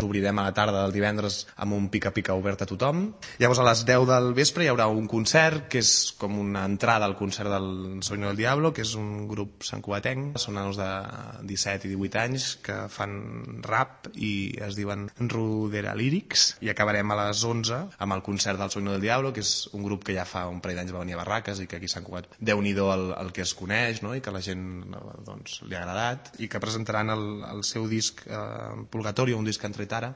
Obrirem a la tarda del divendres amb un pica-pica obert a tothom. Llavors a les 10 del vespre hi haurà un concert que és com una entrada al concert del Soño del Diablo, que és un grup santcugatenc. Són nanos de 17 i 18 anys que fan rap i es diuen Rudera Lyrics. I acabarem a les 11 amb el concert del Soño del Diablo, que és un grup que ja fa un parell d'anys va venir a Barraques i que aquí a Sant Cugat déu-n'hi-do el que es coneix, no? I que a la gent doncs, li ha agradat, i que presentaran el seu disc Purgatorio, un disc que han tret ara,